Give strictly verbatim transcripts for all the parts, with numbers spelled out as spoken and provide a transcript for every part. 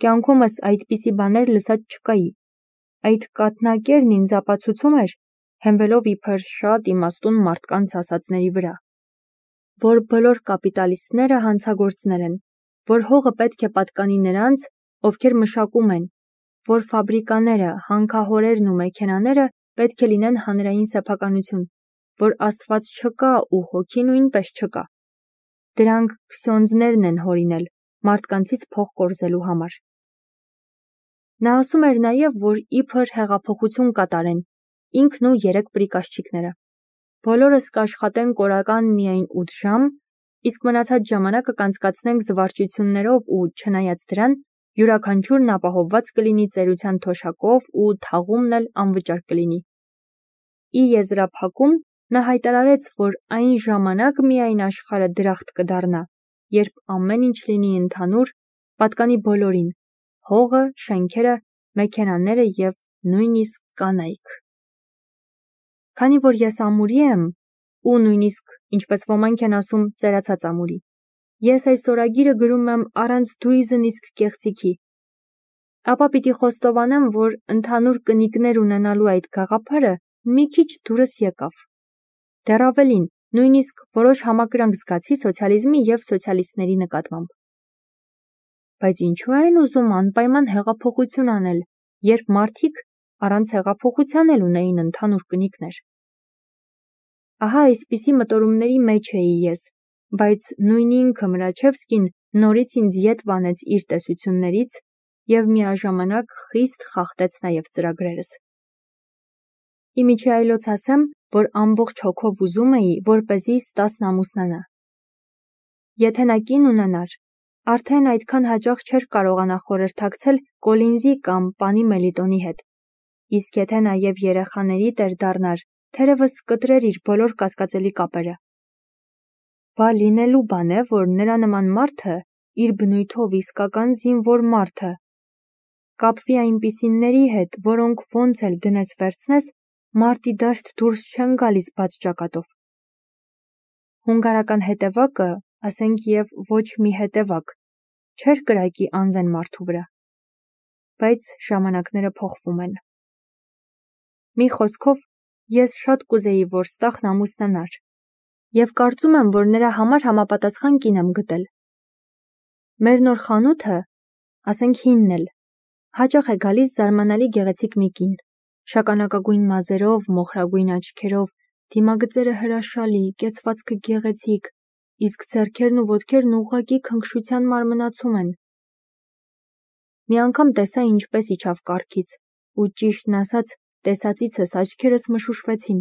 կյանքումս այդպիսի բաներ լսած չկայի։ Այդ կաթնակերն ինձ ապացուցում էր, հենվելով իբր շատ իմաստուն մարդկանց ասածների վրա, որ բոլոր կապիտալիստները հանցագործներ են, որ հողը պետք է պատկանի նրանց, ովքեր մշակում են, որ ֆաբրիկաները, հանքահորերն ու մեքենաները պետք է լինեն հանրային սեփականություն, որ Աստված չկա ու հոգի նույնպես չկա։ Դրանք քսյոնդզներն են հորինել մարդկանցից փող կորզելու համար։ Նա ասում էր նաև, որ իբր հեղափոխություն կատարեն, ինքն ու երեք պրիկաշչիկները։ Բոլորս կաշխատենք կորական միայն ութ ժամ, իսկ մնացած ժամանակը կանցկացնենք զվարճություններով ու չնայած դրան, յուրաքանչյուրն ապահովված կլինի ծերության թոշակով ու թաղումն էլ անվճար կլինի։ Ի եզրափակում նա հայտարարեց, որ այն ժամանակ միայն աշխարհը դրախտ կդառնա, երբ ամեն ինչ լինի ընդհանուր, պատկանի բոլորին, հողը, շենքերը, մեքենաները և նույնիսկ կանայք։ Քանի որ ես ամուրի եմ, ու նույնիսկ, ինչպես ոմանք են ասում, ծերացած ամուրի, ես այս օրագիրը գրում եմ առանց դույզն իսկ կեղծիքի, ապա պիտի խոստովանեմ, որ ընդհանուր կնիկներ ունենալու այդ գաղափարը մի քիչ դուրս եկավ։ Դեռ ավելին, նույնիսկ որոշ համակրանք զգացի սոցիալիզմի և սոցիալիստների նկատմամբ։ Բայց ինչու են ուզում անպայման հեղափոխություն անել, երբ մարդիկ առանց հեղափոխության էլ ունեին ընդհանուր կնիկներ։ Ահա այսպիսի մտորումների մեջ էի ես, բայց նույն ինքը Մրաչևսկին նորից ինձ ետ վանեց իր տեսություններից և միաժամանակ խիստ խախտեց նաև ծրագրերս։ Իմիջի այլոց ասեմ, որ ամբողջ հոգով ուզում էի, որպեսզի Ստասն ամուսնանա։ Եթե նա կին ունենար, արդեն այդքան հաճախ չէր կարողանա խորհրդակցել Կոլինզի կամ պանի Մելիտոնի հետ, իսկ եթե նաև երեխաների տեր դառնար, թերևս կտրեր իր բոլոր կասկածելի կապերը։ Բա լինելու բան է, որ նրա նման մարդը, իր բնույթով իսկական զինվոր մարդը, կապվի այնպիսիների հետ, որոնք ոնց էլ դնես վերցնես, մարտի դաշտ դուրս չեն գալիս բաց ճակատով։ Հունգարական հետևակը, ասենք և ոչ մի հետևակ, չէր կրակի անզեն մարդու վրա։ Բայց ժամանակները փոխվում են։ Մի խոսքով, ես շատ կուզեի, որ Ստախն ամուսնանար, և կարծում եմ, որ նրա համար համապատասխան կին եմ գտել։ Մեր նոր խանութը, ասենք հինն էլ, հաճախ է գալիս զարմանալի գեղեցիկ մի կին, շագանակագույն մազերով, մոխրագույն աչքերով, դիմագծերը հրաշալի, կեցվածքը գեղեցիկ, իսկ ձեռքերն ու ոտքերն ուղղակի քնքշության մարմնացում են։ Մի անգամ տեսա ինչպես իջավ կառքից, ու ճիշտն ասած, տեսածիցս աչքերս մշուշվեցին։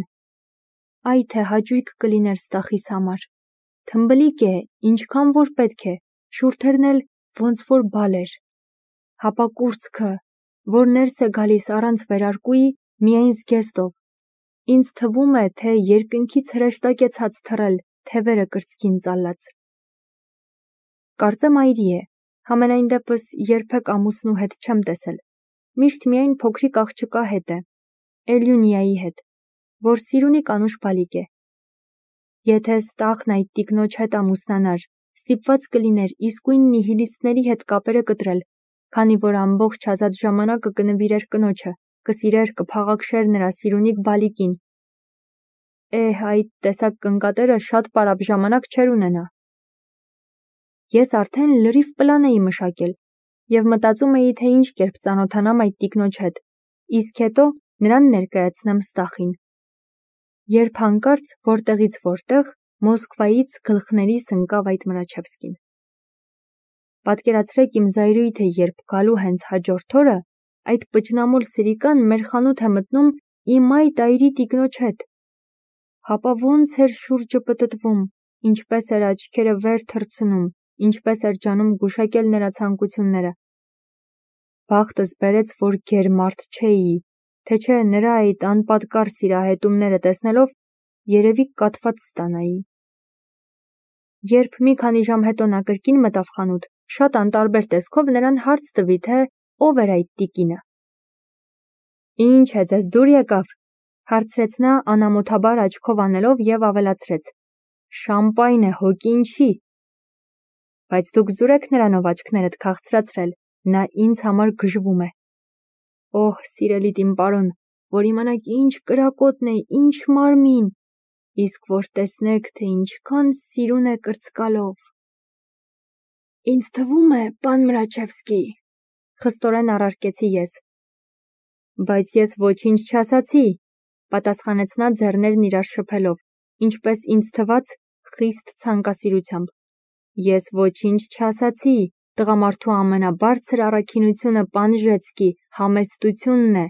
Այ թե հաճույք կլիներ Ստախիս համար։ Թմբլիկ է, ինչքան որ պետք է, շուրթերն էլ ոնց որ բալ էր։ Հապակուրծքը, որ ներս է գալիս առանց վերարկուի, միայն զգեստով։ Ինձ թվում է, թե երկնքից հրեշտակ է ցած թռել, թևերը կրծքին ծալած։ Կարծեմ այրի է, համենայն դեպս երբեք ամուսնու հետ չեմ տեսել, միշտ միայն փոքրիկ աղջկա հետ է, Էլյունիայի հետ, որ Սիրունի կանուշ բալիկ է։ Եթե Ստախն այդ տիկնոջ հետ ամուսնանար, ստիպված կլիներ իսկույն նիհիլիստների հետ կապերը կտրել, քանի որ ամբողջ ազատ ժամանակը կնվիրեր կնոջը, կսիրեր, կփաղաքշեր նրա Սիրունիկ բալիկին։ Էհ, այդ տեսակ կնկատերը շատ պարապ ժամանակ չէր ունենա։ Ես արդեն լրիվ պլան էի մշակել և մտածում էի, թե ինչ կերպ ծանոթանամ այդ տիկնոջ հետ, իսկ հետո նրան ներկայացնեմ Ստախին։ Երբ հանկարծ որտեղից որտեղ Մոսկվայից գլխներիս ընկավ այդ Մրաչևսկին։ Պատկերացրեք իմ զայրույթը, երբ գալու հենց հաջորդ օրը այդ պճնամոլ սրիկան մեր խանութ է մտնում իմ այդ այրի տիկնոջ հետ։ Հապա ոնց էր շուրջը պտտվում, ինչպես էր աչքերը վեր թռցնում, ինչպես էր ջանում գուշակել նրա ցանկությունները։ Բախտս բերեց, որ գերմարդ չէի, թե չէ նրա այդ անպատկառ սիրահետումները տեսնելով երևի կաթված ստանայի։ Երբ մի քանի ժամ հետո նա կրկին մտավ խանութ, շատ անտարբեր տեսքով նրան հարց տվի, թե ով էր այդ տիկինը։ Ինչ է, ձեզ դուր եկավ, հարցրեց նա անամոթաբար աչքով անելով և ավելացրեց. շամպայն է, հոգի ինչի։ Բայց դուք զուր եք նրանով աչքներդ քաղցրացրել, նա ինձ համար գժվում է։ Օհ, սիրելի իմ պարոն, որ իմանաք ինչ կրակոտն է, ինչ մարմին, իսկ որ տեսնեք, թե ինչքան սիրուն է կրծկալով։ Ինձ թվում է, պան Մրաչևսկի, խստորեն առարկեցի ես։ Բայց ես ոչինչ չասացի, պատասխանեց նա ձեռներն իրար շփելով, ինչպես ինձ թվաց, խիստ ցանկասիրությամբ։ Ես ոչինչ չասացի, տղամարդու ամենաբարձր առաքինությունը պանժեցկի համեստությունն է,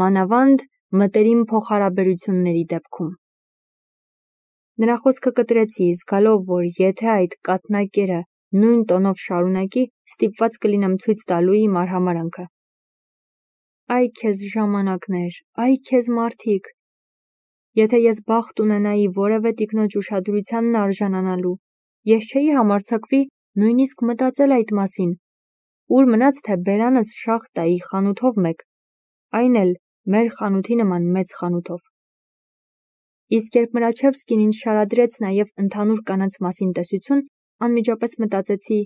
մանավանդ մտերիմ փոխհարաբերությունների դեպքում։ Նրա խոսքը կտրեցի, զգալով, որ եթե այդ կաթնակերը նույն տոնով շարունակի, ստիպված կլինեմ ցույց տալու իմ արհամարհանքը։ Այ քեզ ժամանակներ, այ քեզ մարդիկ։ Եթե ես բախտ ունենայի որևէ տիկնոջ ուշադրությանն արժանանալու, ես չէի համարձակվի նույնիսկ մտածել այդ մասին, ուր մնաց թե բերանս շախտայի խանութով մեկ, այն էլ մեր խանութի նման մեծ խանութով։ Իսկ երբ Մրաչևսկին ինձ շարադրեց նաև ընդհանուր կանանց մասին տեսություն, անմիջապես մտածեցի.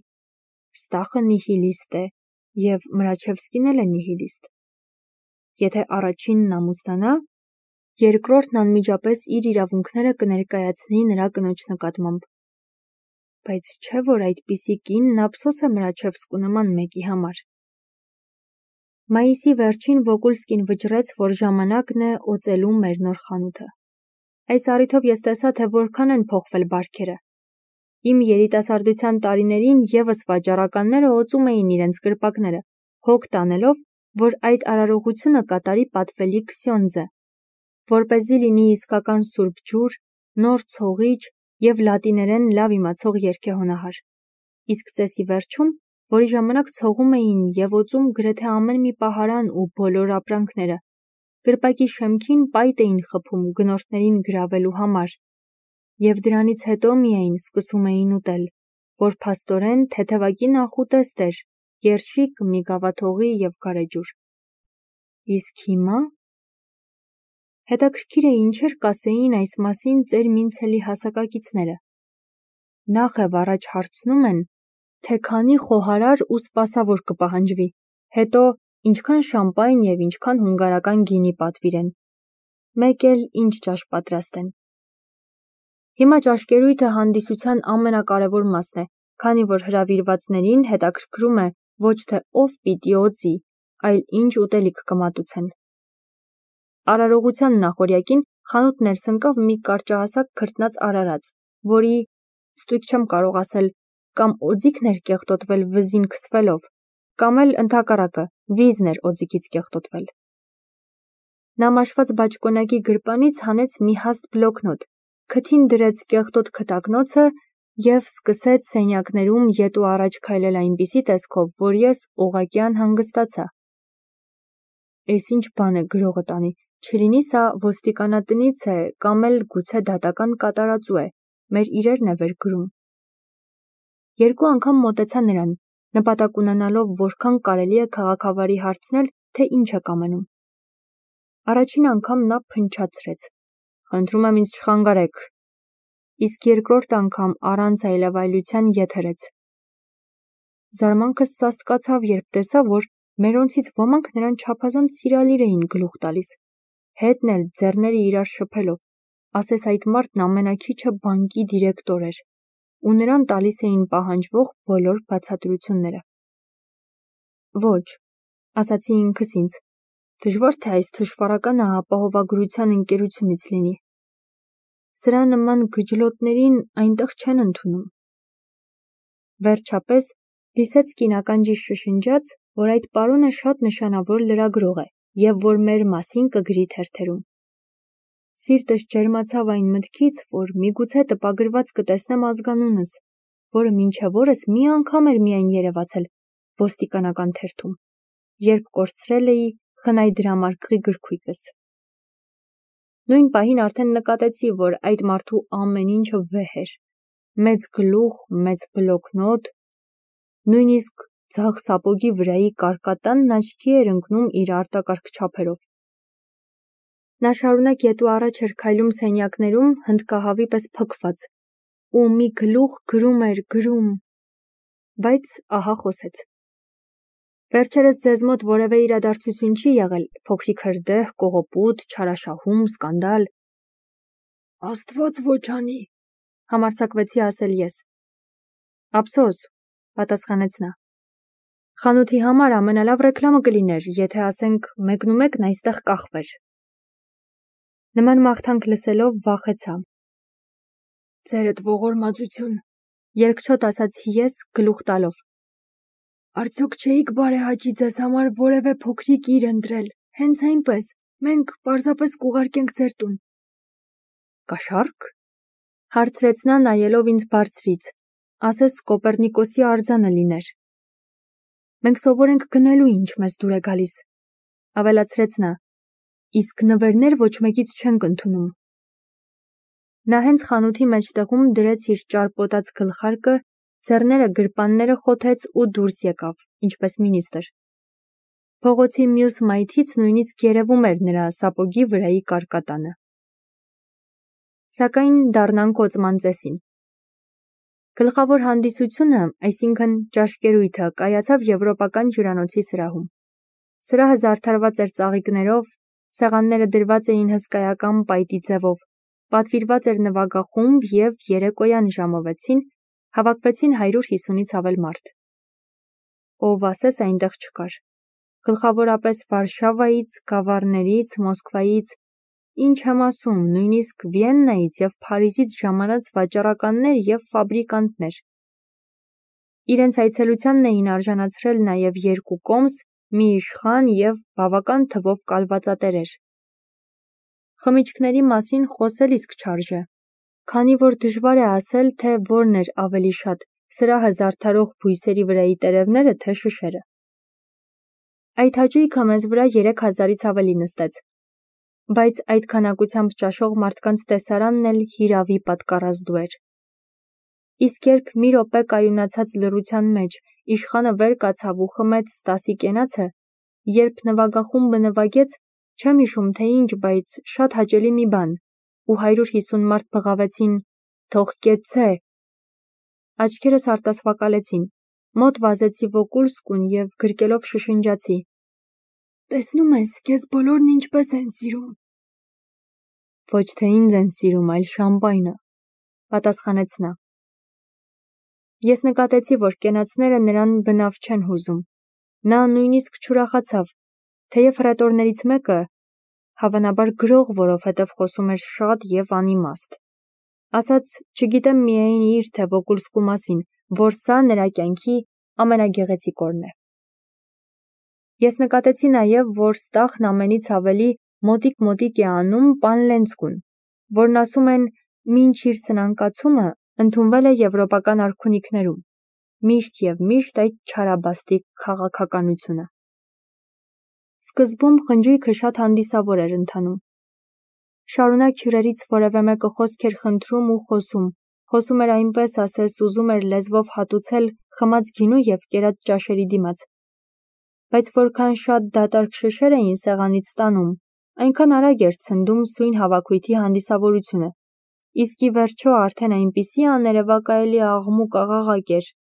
Ստախը նիհիլիստ է, և Մրաչևսկին էլ է նիհիլիստ։ Եթե առաջինն ամուսնանա, երկրորդն անմիջապես իր իրավունքները կներկայացնի նրա կնոջ նկատմամբ։ Բայց չէ՞ որ այդպիսի կինն ափսոս է Մրաչևսկու նման մեկի համար։ Մայիսի վերջին Վոգուլսկին վճռեց, որ ժամանակն է օծելու մեր նոր խանութը։ Այս առիթով ես տեսա, թե որքան են փոխվել բարքերը։ Իմ երիտասարդության տարիներին ևս վաճառականները օծում էին իրենց կրպակները, հոգ տանելով, որ այդ արարողությունը կատարի պատվելի Քսյոնդզը, որպեսզի լինի իսկական սուրբ ջուր, նոր ցողիչ և լատիներեն լավ իմացող երգեհոնահար։ Իսկ ծեսի վերջում, որի ժամանակ ցողում էին և օծում գրեթե ամեն մի պահարան ու բոլոր ապրանքները, կրպակի շեմքին պայտ էին խփում գնորդներին գրավելու համար, և դրանից հետո միայն սկսում էին ուտել, որ փաստորեն թեթևակի նախուտեստ էր, երշիկ, միգավաթողի և գարեջուր։ Իսկ հիմա… Հետաքրքիր է ինչեր կասեին այս մասին ծեր Մինցելի հասակակիցները։ Նախև առաջ հարցնում են, թե քանի խոհարար ու սպասավոր կպահանջվի, հետո ինչքան շամպայն և ինչքան հունգարական գինի պատվիրեն, մեկ էլ ինչ ճաշ պատրաստեն։ Հիմա ճաշկերույթը հանդիսության ամենակարևոր մասն է, քանի որ հրավիրվածներին հետաքրքրում է ոչ թե ով պիտի օծի, այլ ինչ ուտելիք կմատուցեն։ Արարողության նախօրյակին խանութ ներս ընկավ մի կարճահասակ քրտնած արարած, որի, ստույգ չեմ կարող ասել, կամ օձիքն էր կեղտոտվել վզին քսվելով, կամ էլ ընդհակառակը, վիզն էր օձիքից կեղտոտվել։ Նա մաշված բաճկոնակի գրպանից հանեց մի հաստ բլոկնոտ, քթին դրեց կեղտոտ քթակնոցը և սկսեց սենյակներում ետ ու առաջ քայլել այնպիսի տեսքով, որ ես ուղղակի անհանգստացա։ Էս ինչ բան է գրողը տանի, չլինի սա ոստիկանատնից է կամ էլ գուցե դատական կատարածու է, մեր իրերն է վեր գրում։ Երկու անգամ մոտեցա նրան, նպատակ ունենալով որքան կարելի է քաղաքավարի հարցնել, թե ինչ է կամենում։ Առաջին անգամ նա փնչացրեց. Խնդրում եմ ինձ չխանգարեք, իսկ երկրորդ անգամ առանց այլևայլության ետ հրեց։ Զարմանքս սաստկացավ, երբ տեսա, որ մերոնցից ոմանք նրան չափազանց սիրալիր էին գլուխ տալիս, հետն էլ ձեռները իրար շփելով, ասես այդ մարդն ամենաքիչը բանկի դիրեկտոր էր, ու նրան տալիս էին պահանջվող բոլոր բացատրությունները։ Ոչ, ասացի ինքս ինձ, դժվար թե այս թշվառականը ապահովագրության ընկերությունից լինի։ Սրա նման գջլոտներին այնտեղ չեն ընդունում։ Վերջապես Լիսեցկին ականջիս շշնջաց, որ այդ պարոնը շատ նշանավոր լրագրող է և որ մեր մասին կգրի թերթերում։ Սիրտս ջերմացավ այն մտքից, որ միգուցե տպագրված կտեսնեմ ազգանունս, որը մինչև օրս մի անգամ էր միայն երևացել ոստիկանական թերթում, երբ կորցրել էի խնայ դրամարկղի գրքույկս։ Նույն պահին արդեն նկատեցի, որ այդ մարդու ամեն ինչը վեհ էր, մեծ գլուխ, մեծ բլոկնոտ, նույնիսկ ձախ սապոգի վրայի կարկատանն աչքի էր ընկնում իր արտակարգ չափերով։ Նա շարունակ ետ ու առաջ էր քայլում սենյակներում հնդկահավի պես փքված, ու մի գլուխ գրում էր, գրում, բայց ահա խոսեց։ Վերջերս ձեզ մոտ որևէ իրադարձություն չի եղել, փոքրիկ հրդեհ, կողոպուտ, չարաշահում, սկանդալ։ Աստված ոչ անի, համարձակվեցի ասել ես։ Ափսոս, պատասխանեց նա։ Խանութի համար ամենալավ ռեկլամը կլիներ, եթե ասենք մեկնումեկն այստեղ կախվեր։ Նման մաղթանք լսելով վախեցա։ Ձերդ ողորմածություն, Երկչոտ ասացի ես գլուխ տալով։ Արդյոք չէիք բարեհաճի ձեզ համար որևէ փոքրիկ իր ընտրել, հենց այնպես, մենք պարզապես կուղարկենք ձեր տուն։ Կաշառք, հարցրեց նա նայելով ինձ բարձրից, ասես Կոպեռնիկոսի արձանը լիներ։ Մենք սովոր ենք գնելու ինչ մեզ դուր է գալիս, ավելացրեց նա, իսկ նվերներ ոչ մեկից չենք ընդունում։ Նա հենց խանութի մեջտեղում դրեց իր ճարպոտած գլխարկը, ձեռները գրպանները խոթեց ու դուրս եկավ, ինչպես մինիստր։ Փողոցի մյուս մայթից նույնիսկ երևում էր նրա սապոգի վրայի կարկատանը։ Սակայն դառնանք օծման ծեսին։ Գլխավոր հանդիսությունը, այսինքն ճաշկերույթը, կայացավ եվրոպական հյուրանոցի սրահում։ Սրահը զարդարված էր ծաղիկներով, սեղանները դրված էին հսկայական պայտի ձևով, պատվիրված էր նվագախումբ և երեկոյան ժամը վեցին հավաքվեցին հարյուր հիսունից ավել մարդ։ Ով ասես այնտեղ չկար։ Գլխավորապես Վարշավայից, Գավառներից, Մոսկվայից, ինչ եմ ասում, նույնիսկ Վիեննայից և Փարիզից ժամանած վաճառականներ և ֆաբրիկանտներ։ Իրենց այցելությանն էին արժանացրել նաև երկու կոմս, մի իշխան և բավական թվով կալվածատերեր։ Խմիչքների մասին խոսել իսկ չարժե, քանի որ դժվար է ասել, թե որն էր ավելի շատ, սրահը զարդարող բույսերի վրայի տերևները, թե շշերը։ Այդ հաճույքը մեզ վրա երեք հազարից ավելի նստեց, բայց այդ քանակությամբ ճաշող մարդկանց տեսարանն էլ հիրավի պատկառազդու էր։ Իսկ երբ մի րոպե կայունացած լռության մեջ իշխանը վեր կացավ ու խմեց Ստասի կենացը, երբ նվագախումբը նվագեց, չեմ հիշում թե ինչ, բայց շատ հաճելի մի բան, ու հարյուր հիսուն մարդ բղավեցին «Թող կեցցե»։ Աչքերս արտասվակալեցին, մոտ վազեցի Վոկուլսկուն և գրկելով շշնջացի. Տեսնում ես, քեզ բոլորն ինչպես են սիրում։ Ոչ թե ինձ են սիրում, այլ շամպայնը, պատասխանեց նա։ Ես նկատեցի, որ կենացները նրան բնավ չեն հուզում։ Նա նույնիսկ չուրախացավ, թեև հռետորներից մեկը, հավանաբար գրող, որովհետև խոսում էր շատ և անիմաստ, ասաց, չգիտեմ միայն իր, թե Վոկուլսկու մասին, որ սա նրա կյանքի ամենագեղեցիկ օրն է։ Ես նկատեցի նաև, որ Ստախն ամենից ավելի մոտիկ-մոտիկ է անում պան Լենցկուն, որն ասում են մինչ իր սնանկացումը ընդունվել է եվրոպական արքունիքներում, միշտ և միշտ այդ չարաբաստիկ քաղաքականությունը։ Սկզբում խնջույքը շատ հանդիսավոր էր ընթանում։ Շարունակ հյուրերից որևէ մեկը խոսք էր խնդրում ու խոսում, խոսում էր այնպես, ասես ուզում էր լեզվով հատուցել խմած գինու և կերած ճաշերի դիմաց։ Բայց որքան շատ դատարկ շշեր էին սեղանից ստանում, այնքան արագ էր ցնդում սույն հավաքույթի հանդիսավորությունը, իսկ ի վերջո արդեն այնպիսի աներևակայելի աղմուկ աղաղակ էր,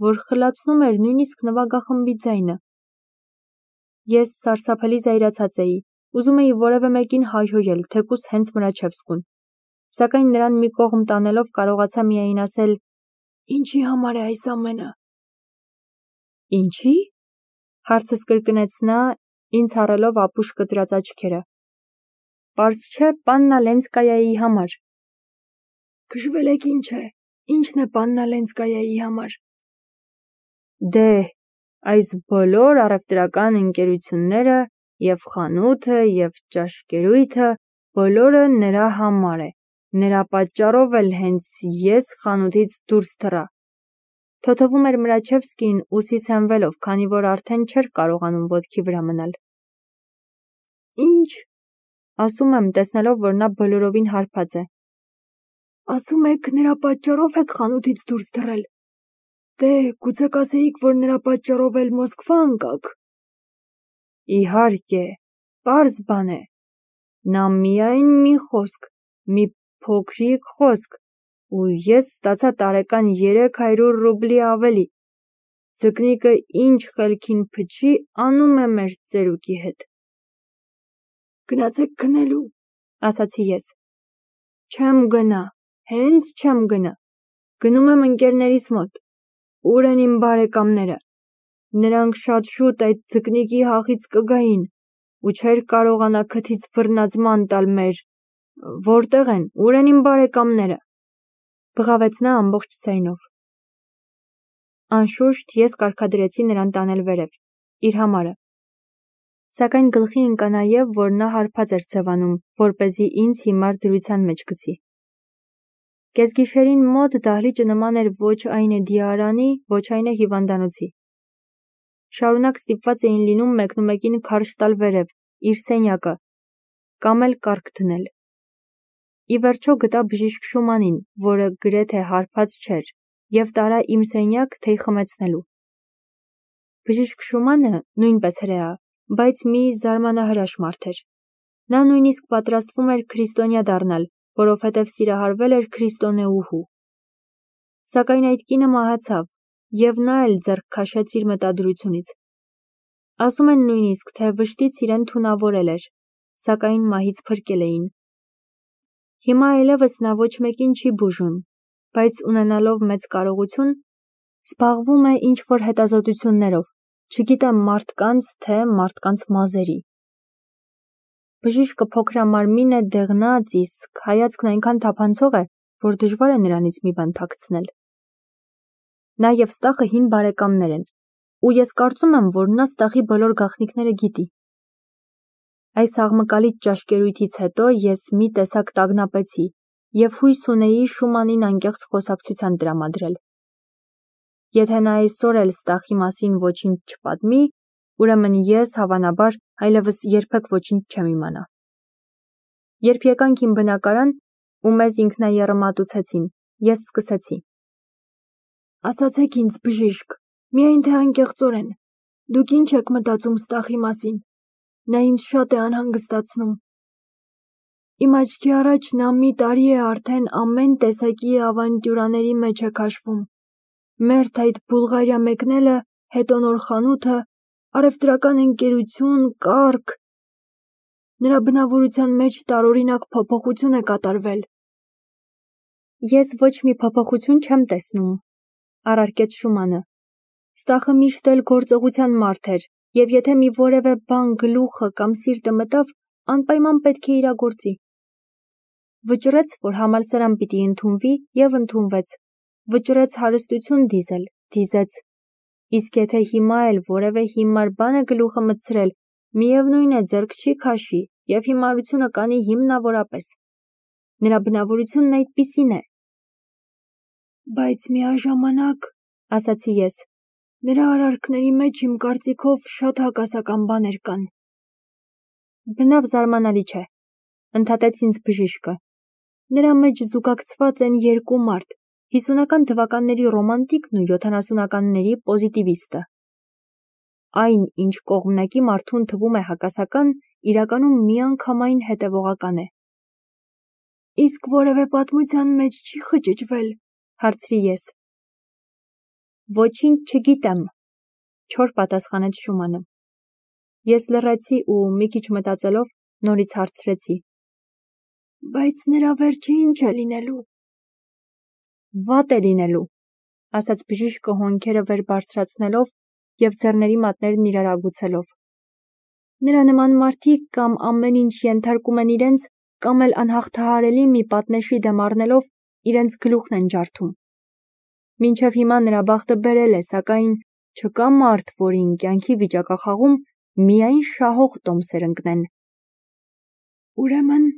որ խլացնում էր նույնիսկ նվագախմբի ձայնը։ Ես սարսափելի զայրացած էի, ուզում էի որևէ մեկին հայհոյել, թեկուզ հենց Մրաչևսկուն, սակայն նրան մի կողմ տանելով կարողացա միայն ասել. Ինչի համար է այս ամենը։ Ինչի՞, հարցս կրկնեց նա, ինձ հառելով ապուշ կտրած աչքերը։ Պարզ չէ, պաննա Լենցկայայի համար։ Քժվել եք ինչ է, ինչն է պաննա Լենցկայայի համար։ Դե, այս բոլոր առևտրական ընկերությունները և խանութը և ճաշկերույթը բոլորը նրա համար է, նրա պատճառով էլ հենց ես խանութից դուրս թռա։ Թոթվում էր Մրաչևսկին ուսիս հենվելով, քանի որ արդեն չէր կարողանում ոտքի վրա մնալ։ Ինչ, ասում եմ, տեսնելով, որ նա բոլորովին հարբած է։ Ասում եք, նրա պատճառով եք խանութից դուրս թռել։ Դե, գուցե կասեիք, որ նրա պատճառով էլ Մոսկվա ընկաք։ Իհարկե, պարզ բան է։ Նա միայն մի խոսք, մի փոքրիկ խոսք, ու ես ստացա տարեկան երեք հարյուր ռուբլի ավելի։ Ձկնիկը ինչ խելքին փչի, անում է մեր ծերուկի հետ։ Գնացեք քնելու, ասացի ես։ Չեմ գնա, հենց չեմ գնա։ Գնում եմ ընկերներիս մոտ։ Ուր են իմ բարեկամները։ Նրանք շատ շուտ այդ ձկնիկի հախից կգային ու չէր կարողանա քթից բռնած ման տալ մեր։ Որտեղ են, ուր են իմ բարեկամները։ Բղավեց նա ամբողջ ձայնով։ Անշուշտ ես կարգադրեցի նրան տանել վերև, իր համարը։ Սակայն գլխի ընկա նաև, որ նա հարբած էր ձևանում, որպեսզի ինձ հիմար դրության մեջ գցի։ Կեսգիշերին մոտ դահլիճը նման էր ոչ այն է դիարանի, ոչ այն է հիվանդանոցի։ Շարունակ ստիպված էին լինում մեկնումեկին քարշ տալ վերև, իր սենյակը, կամ էլ կառք դնել։ Ի վերջո գտա բժիշկ Շումանին, որը գրեթե հարբած չէր, և տարա իմ սենյակ թեյ խմեցնելու։ Բժիշկ Շումանը նույնպես հրեա, բայց մի զարմանահրաշ մարդ էր։ Նա նույնիսկ պատրաստվում էր քրիստոնյա դառնալ, որովհետև սիրահարվել էր քրիստոնեուհու։ Սակայն այդ կինը մահացավ, և նա էլ ձեռք քաշեց իր մտադրությունից։ Ասում են նույնիսկ, թե վշտից իրեն թունավորել էր, սակայն մահից փրկել էին։ Հիմա այլևս նա ոչ մեկին չի բուժում, բայց ունենալով մեծ կարողություն, զբաղվում է ինչ-որ հետազոտություններով, չգիտեմ մարդկանց, թե մարդկանց մազերի։ Բժիշկը փոքրամարմին է, դեղնած, իսկ հայացքն այնքան թափանցող է, որ դժվար է նրանից մի բան թաքցնել։ Նա և Ստախը հին բարեկամներ են, ու ես կարծում եմ, որ նա Ստախի բոլոր գաղտնիքները գիտի։ Այս աղմկալից ճաշկերույթից հետո ես մի տեսակ տագնապեցի և հույս ունեի Շումանին անկեղծ խոսակցության տրամադրել։ Եթե նա այսօր էլ Ստախի մասին ոչինչ չպատմի, ուրեմն ես, հավանաբար, այլևս երբեք ոչինչ չեմ իմանա։ Երբ եկանք իմ բնակարան ու մեզ ինքնաեռմատուցեցին, ես սկսեցի. Ասացեք ինձ, բժիշկ, միայն թե անկեղծորեն, դուք ինչ եք մտածում Ստախի մասին։ Նա ինձ շատ է անհանգստացնում։ Իմ աչքի առաջ նա մի տարի է արդեն ամեն տեսակի ավանտյուրաների մեջ է քաշվում։ Մերթ այդ Բուլղարիա մեկնելը, հետո նոր խանութը, առևտրական ընկերություն, կառք։ Նրա բնավորության մեջ տարօրինակ փոփոխություն է կատարվել։ Ես ոչ մի փոփոխություն չեմ տեսնում, առարկեց Շումանը։ Ստախը միշտ էլ գործողության մարդ էր, և եթե մի որևէ բան գլուխը կամ սիրտը մտավ, անպայման պետք է իրագործի։ Վճռեց, որ համալսարան պիտի ընդունվի, և ընդունվեց։ Վճռեց հարստություն դիզել, դիզեց։ Իսկ եթե հիմա էլ որևէ հիմար բան է գլուխը մտցրել, միևնույն է ձեռք չի քաշի և հիմարությունը կանի հիմնավորապես։ Նրա բնավորությունն այդպիսին է։ Բայց միաժամանակ, ասացի ես, նրա արարքների մեջ իմ կարծիքով շատ հակասական բաներ կան։ Բնավ զարմանալի չէ, ընդհատեց ինձ բժիշկը։ Նրա մեջ զուգակցված են երկու մարդ, հիսունական թվականների ռոմանտիկն ու յոթանասունականների պոզիտիվիստը։ Այն, ինչ կողմնակի մարդուն թվում է հակասական, իրականում միանգամայն հետևողական է։ Իսկ որևէ պատմության մեջ չի խճճվել, հարցրի ես։ Ոչինչ չգիտեմ, չոր պատասխանեց Շումանը։ Ես լռեցի ու մի քիչ մտածելով նորից հարցրեցի. Բայց նրա վերջը ինչ է լինելու։ Վատ է լինելու, ասաց բժիշկը հոնքերը վեր բարձրացնելով և ձեռների մատներն իրար ագուցելով։ Նրա նման մարդիկ կամ ամեն ինչ ենթարկում են իրենց, կամ էլ անհաղթահարելի մի պատնեշի դեմ առնելով իրենց գլուխն են ջարդում։ Մինչև հիմա նրա բախտը բերել է, սակայն չկա մարդ, որին կյանքի վիճակախաղում միայն շահող տոմսեր ընկնեն։ Ուրեմն…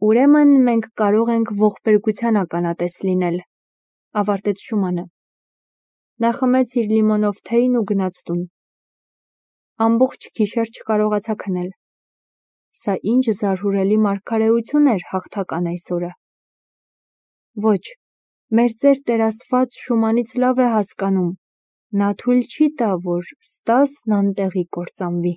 Ուրեմն մենք կարող ենք ողբերգության ականատես լինել, ավարտեց Շումանը։ Նա խմեց իր լիմոնով թեյն ու գնաց տուն։ Ամբողջ գիշեր չկարողացա քնել։ Սա ինչ զարհուրելի մարգարեություն էր հաղթական այսօրը։ Ոչ, մեր ծեր Տեր Աստված Շումանից լավ է հասկանում, նա թույլ չի տա, որ Ստասն անտեղի կործանվի։